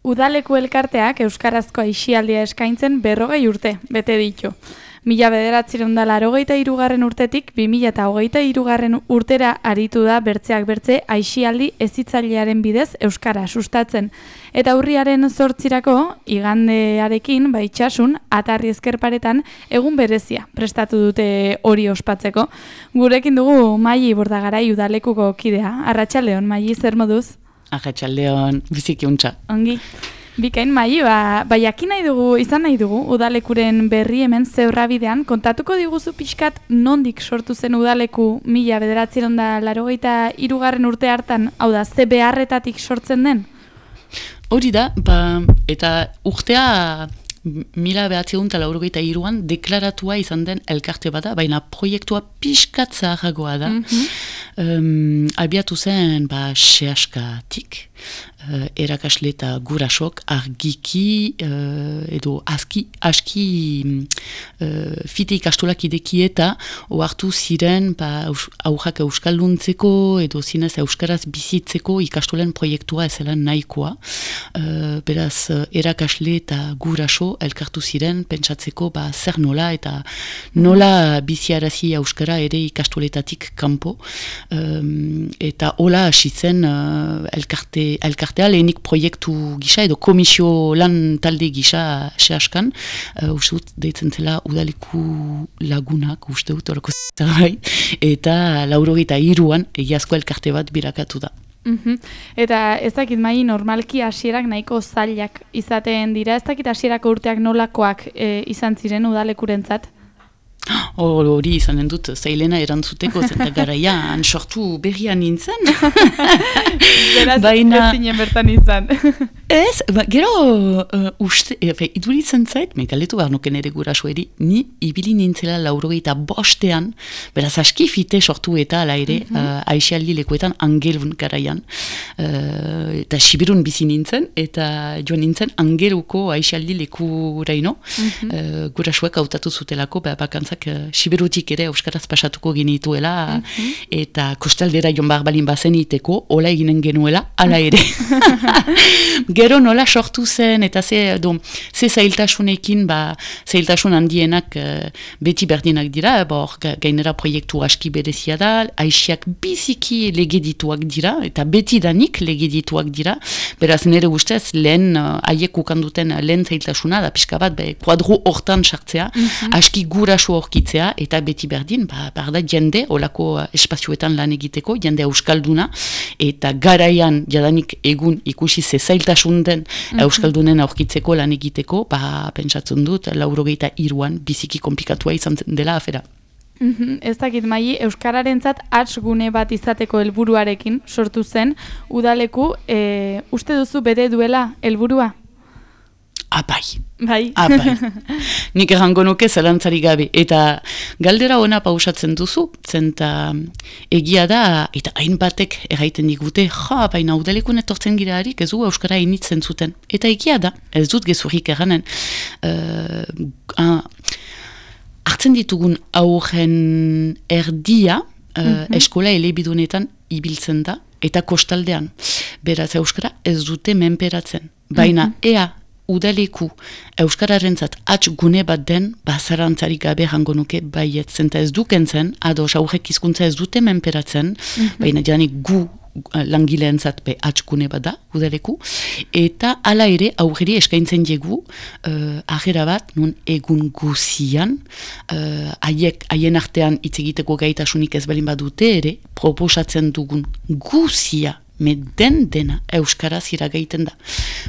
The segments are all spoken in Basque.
Udaleku elkarteak euskarazko aisialdia eskaintzen 40 urte, bete ditu. 1983 urtetik 2023 urtera aritu da bertzeak bertze aisialdi hezitzailearen bidez euskara sustatzen. Eta urriaren 8irako igandearekin itsasun Atarri Ezkerparetan egun berezia prestatu dute hori ospatzeko. Gurekin dugu Maili Bordagarai udalekuko kidea. Arratsaldeon Maili, zer moduz? Arratsaldeon, biziki untza. Ongi. Bikain Maili, jakin izan nahi dugu udalekuren berri hemen Zeurrabidean. Kontatuko diguzu pixkat nondik sortu zen udaleku 1983 urte hartan, hau da, ze beharretatik sortzen den? Hori da, eta urtea 1983an deklaratua izan den elkarte bada, baina proiektua pixkat zaharragoa da. Abiatu zen sehaskatik, erakasle eta gurasok argiki edo aski fite ikastolak ideki eta ohartu ziren aurrak euskalduntzeko edo zinez euskaraz bizitzeko ikastolen proiektua ezela nahikoa. Beraz, erakasle eta guraso elkartu ziren pentsatzeko zer nola eta nola biziarazi euskara ere ikastoletatik kanpo. Eta hola hasi zen elkartea lehenik proiektu gisa edo komisio lan talde gisa sehaskan, uste dut deitzen zela udaleku lagunak, uste dut horako zerbait, eta 83an egiazko elkarte bat birakatu da. Eta ez dakit Maili, normalki hasierak nahiko zailak izaten dira, ez dakit hasierako urteak nolakoak izan ziren udalekurentzat? Hori izanen dut zailena erantzuteko zenta garaian sortu berrian nintzen. Beraz, ez zinen bertan izan. Ez, gero iduritzen zait, galetu behar nuken ere gurasoeri, ni ibili nintzela 85ean, beraz aski fite sortu eta ala ere aisialdi lekuetan Angelun garaian. Eta Sibirun bizi nintzen, eta joan nintzen Angeluko aisialdi lekuraino. Gurasoek hautatu zutelako, bakantzak Siberutik ere euskaraz pasatuko genituela, eta kostaldera joan behar balin bazen iteko, hola eginen genuela, ala ere. Gero nola sortu zen, eta ze zailtasunekin, zailtasun handienak beti berdinak dira, gainera proiektu aski berezia da, aixiak biziki legedituak dira, eta beti danik legedituak dira, beraz nire ustez lehen haiek ukanduten lehen zailtasuna, da pixka bat, kuadro hortan sartzea, aski guraso horkitzea, eta beti berdin, barda jende, olako espazioetan lan egiteko, jende euskalduna, eta garaian jadanik egun ikusi ze zailtasun den euskaldunen aurkitzeko lan egiteko, pentsatzen dut, 83an biziki komplikatua izan dela afera. Ez dakit Maili, euskararentzat gune bat izateko helburuarekin sortu zen, udaleku, uste duzu bete duela helburua? Bai. Nik errango nuke zalantzari gabe. Eta galdera ona pausatzen duzu, zenta egia da, eta hainbatek erraiten digute, baina udalekun etortzen girarik ez du euskara initzen zuten. Eta egia da, ez dut gezurrik erranen. Hartzen ditugun aurren erdia, eskola elebidunetan ibiltzen da, eta kostaldean. Beraz euskara ez dute menperatzen. Baina ea udaleku euskararentzat gune bat den, zarantzari gabe jango nuke baiet, zenta ez dukentzen, ados aurrek hizkuntza ez dute menperatzen, baina janik gu langileentzat gune bat da, udaleku, eta hala ere aurreri eskaintzen jegu agera bat, nun egun guzian, haien artean hitz egiteko gaitasunik ez balin badute ere, proposatzen dugun guzia, den dena euskaraz iragaiten da.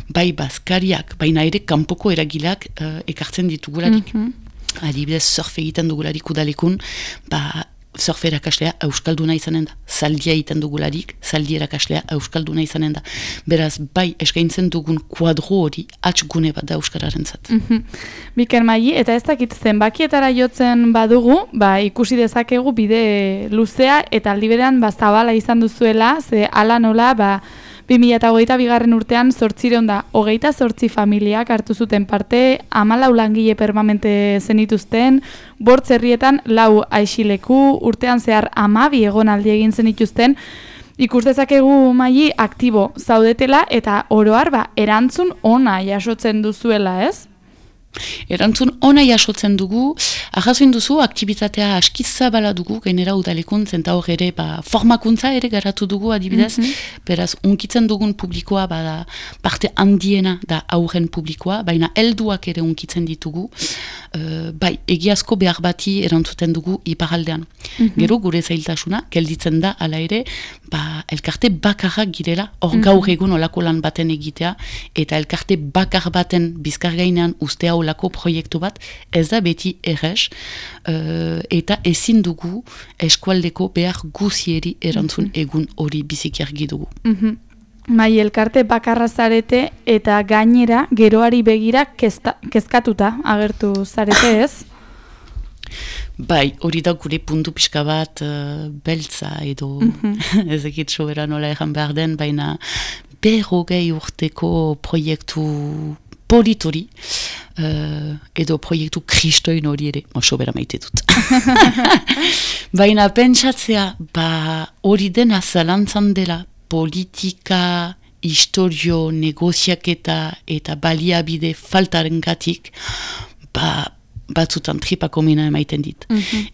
Bai bazkariak, baina ere kanpoko eragilak ekartzen ditugularik. Adibidez, surf egiten dugularik udalekun, surf erakaslea euskalduna izanen da. Zaldia egiten dugularik, zaldi erakaslea euskalduna izanen da. Beraz, bai eskaintzen dugun kuadro hori gune bat da euskararentzat. Biker Maili, eta ez dakit zenbakietara jotzen badugu, ikusi dezakegu bide luzea eta aldi berean zabala izan duzuela, ze ala nola 2022 urtean 828 familiak hartu zuten parte, 14 langile permanente zenituzten, 5 herrietan 4 aixileku, urtean zehar 12 egonaldi egin zenituzten, Ikus dezakegu Maili aktibo zaudetela eta oroar erantzun ona jasotzen duzuela, ez? Erantzun ona jasotzen dugu, arrazoin duzu, aktibitatea askizabala dugu, gainera udalekuntz, eta hor ere, formakuntza ere garatu dugu adibidez, beraz, unkitzen dugun publikoa, parte handiena da aurren publikoa, baina helduak ere unkitzen ditugu, bai, egiazko behar bati erantzuten dugu iparaldean. Gero, gure zailtasuna, gelditzen da, ala ere, elkarte bakarrak girela, hor gaur egun olako lan baten egitea, eta elkarte bakar baten bizkar gainean ustea olako proiektu bat, ez da beti errez, eta ezin dugu eskualdeko behar guzieri erantzun egun hori biziki argi dugu. Mai elkarte bakarra zarete eta gainera geroari begira kezkatuta agertu zarete, ez? Bai, hori da gure puntu pixka bat beltza edo ezekit sobera nola egan behar den, baina 40 urteko proiektu politori, edo proiektu kristoin hori ere, sobera maite dut. Baina pentsatzea, hori dena zalantzan dela politika, historio, negoziaketa eta baliabide faltarengatik, batzutan tripako mina emaiten dit.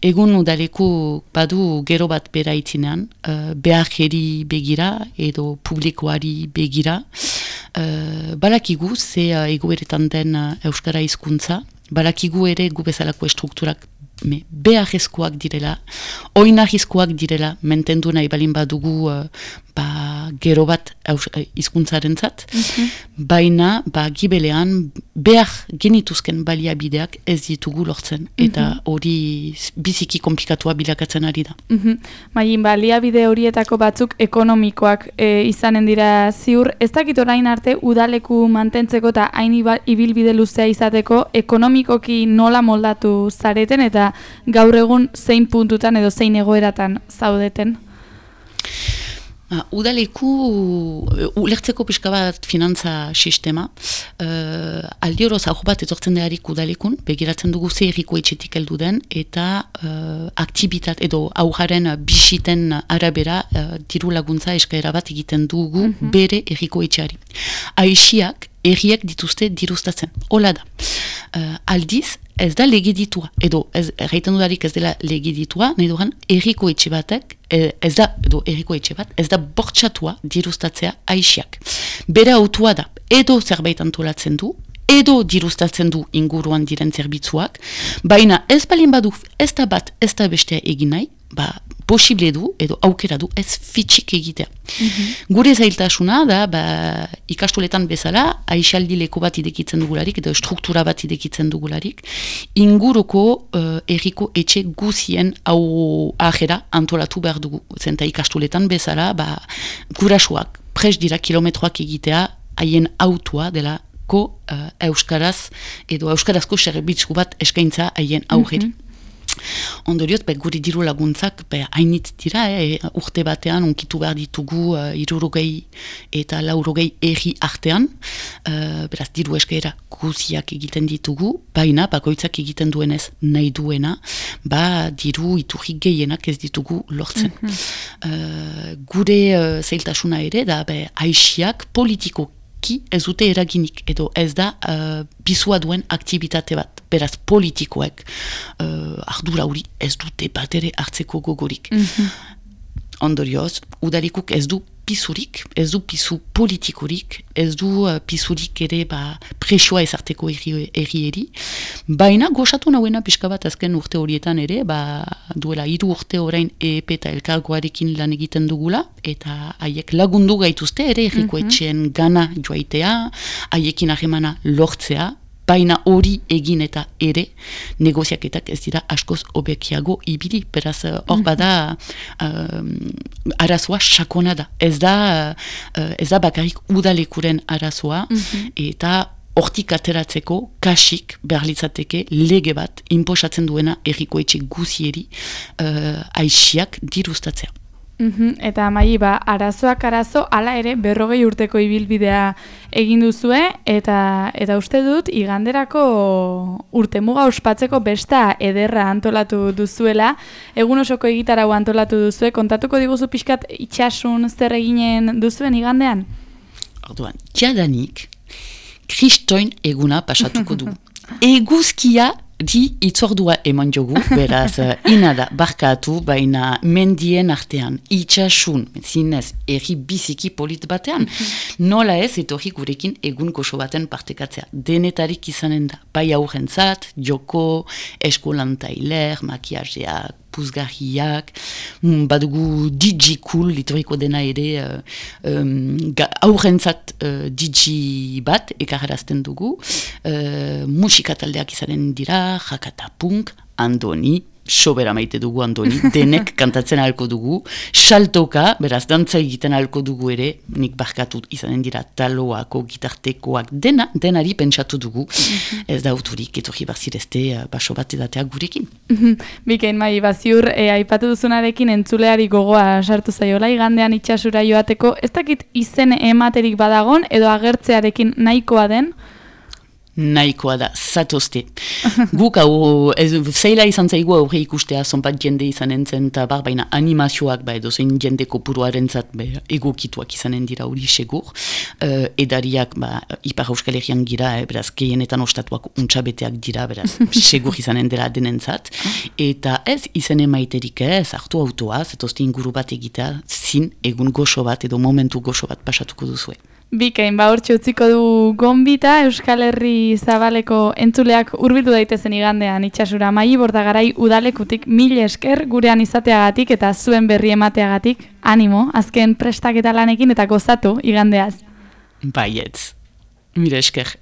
Egun udaleku badu gero bat bera itzinean, beharri begira edo publikoari begira, balakigu ze egoeretan den euskara hizkuntza, balakigu ere gu bezalako estrukturak beharrezkoak direla, oinarrizkoak direla, mentendu nahi balin badugu gero bat hizkuntzarentzat, baina gibelean behar genituzken baliabideak ez ditugu lortzen, eta hori biziki komplikatua bilakatzen ari da. Maili, baliabide horietako batzuk ekonomikoak izanen dira ziur, ez dakit orain arte udaleku mantentzeko eta hain ibilbide luzea izateko ekonomikoki nola moldatu zareten eta gaur egun zein puntutan edo zein egoeratan zaudeten? Udaleku, ulertzeko pixka bat finantza sistema, aldi horoz hau bat etortzen deharik udalekun, begiratzen dugu ze erriko etxetik heldu den, eta aktibitat edo aujaren bisiten arabera diru laguntza eskaera bat egiten dugu bere erriko etxeari. Aixiak erriak dituzte diruztatzen, hola da. Aldiz, ez da legiditua, edo erraiten dudarik ez dela legiditua, nahi duran erriko etxe batek, ez da bortxatua diruztatzea aixiak. Bere autua da, edo zerbait antolatzen du, edo diruztatzen du inguruan diren zerbitzuak, baina ez balin badu, ez da bat, ez da bestea egin nahi, posible du, edo aukera du, ez fitxik egitea. Gure zailtasuna da, ikastoletan bezala, aixialdi leko bat idekitzen dugularik, edo struktura bat idekitzen dugularik, inguruko erriko etxe guzien hau ahera antolatu behar dugu. Zenta ikastoletan bezala, gurasoak, pres dira kilometroak egitea, haien autua dela euskaraz, edo euskarazko zerbitzu bat eskaintza haien aurreri. Ondorioz, guri diru laguntzak hainitz dira, urte batean unkitu behar ditugu 60 eta 80 erri artean, beraz diru eskaera guziak egiten ditugu, baina bakoitzak egiten duenez nahi duena, diru iturri gehienak ez ditugu lortzen. Gure zailtasuna ere, da aixiak politiko ez dute eraginik, edo ez da bizua duen aktibitate bat. Beraz, politikoek ardura hori ez dute bat ere hartzeko gogorik. Ondorioz, udalikuk ez du pisurik, ez du pisu politikorik, ez du pisurik ere presioa ezarteko errieri, baina gozatu nauena pixka bat azken urte horietan ere, duela 3 urte orain EEP eta elkargoarekin lan egiten dugula, eta haiek lagundu gaituzte ere erriko etxeen gana joaitea, haiekin ahemana lortzea, baina hori egin eta ere negoziaketak ez dira askoz hobekiago ibili, beraz hor bada arazoa sakona da. Ez da bakarrik udalekuren arazoa, eta hortik ateratzeko kasik behar litzateke lege bat inposatzen duena erriko etxe guzieri aixiak diruztatzea. Eta Mai, arazoak arazo, hala ere 40 urteko ibilbidea egin duzue, eta uste dut iganderako urtemuga ospatzeko besta ederra antolatu duzuela, egun osoko egitarau antolatu duzue, kontatuko diguzu pixkat itxasun zer eginen duzuen igandean? Orduan, jadanik, kristoin eguna pasatuko du. Eguzkia di itzordua eman jogu, beraz, inada, barkatu, baina mendien artean, itxasun, zinez, erri biziki polit batean, nola ez, etorri gurekin egun goxo baten partekatzea. Denetarik izanen da, bai aurrentzat, joko, eskolantailer, makiajeak, puzgarriak, badugu DJ cool, litoriko dena ere, aurrentzat DJ bat, ekarrazten dugu, musikataldeak izanen dira, jakata punk, Andoni, sobera maite dugu Andoni, denek kantatzen ahalko dugu, saltoka, beraz, dantza egiten ahalko dugu ere, nik barkatu izanen dira taloako, gitartekoak, denari pentsatu dugu, ez da uturik, etorri barzirezte, baso bat edatea gurekin. Bikain, Mai, ziur, aipatu duzunarekin entzuleari gogoa sartu zaiola, igandean itxasura joateko, ez dakit izen ematerik badagon, edo agertzearekin nahikoa den? Nahikoa da, zatozte. Guk hau, zeila izan zaigu aurre ikustea, zonbat jende izanen zen, eta baina animazioak, edo zein jende kopuruaren zat, egokituak izanen dira hori segur. Edariak, Ipar Euskal Herrian gira, beraz, gehienetan ostatuak untxabeteak dira, beraz, segur izanen dela denentzat. Eta ez izen emaiterik ez, hartu autoa, zatozte inguru bat egitea, zin egun goxo bat, edo momentu goxo bat pasatuko duzue. Bikain, hortxe utziko du gonbita, Euskal Herri Zabaleko entzuleak hurbildu daitezen igandean itxasura. Mai Bordagarai udalekutik 1000 esker gurean izateagatik eta zuen berri emateagatik. Animo, azken prestaketa lanekin eta gozatu igandeaz. Baietz, mire esker.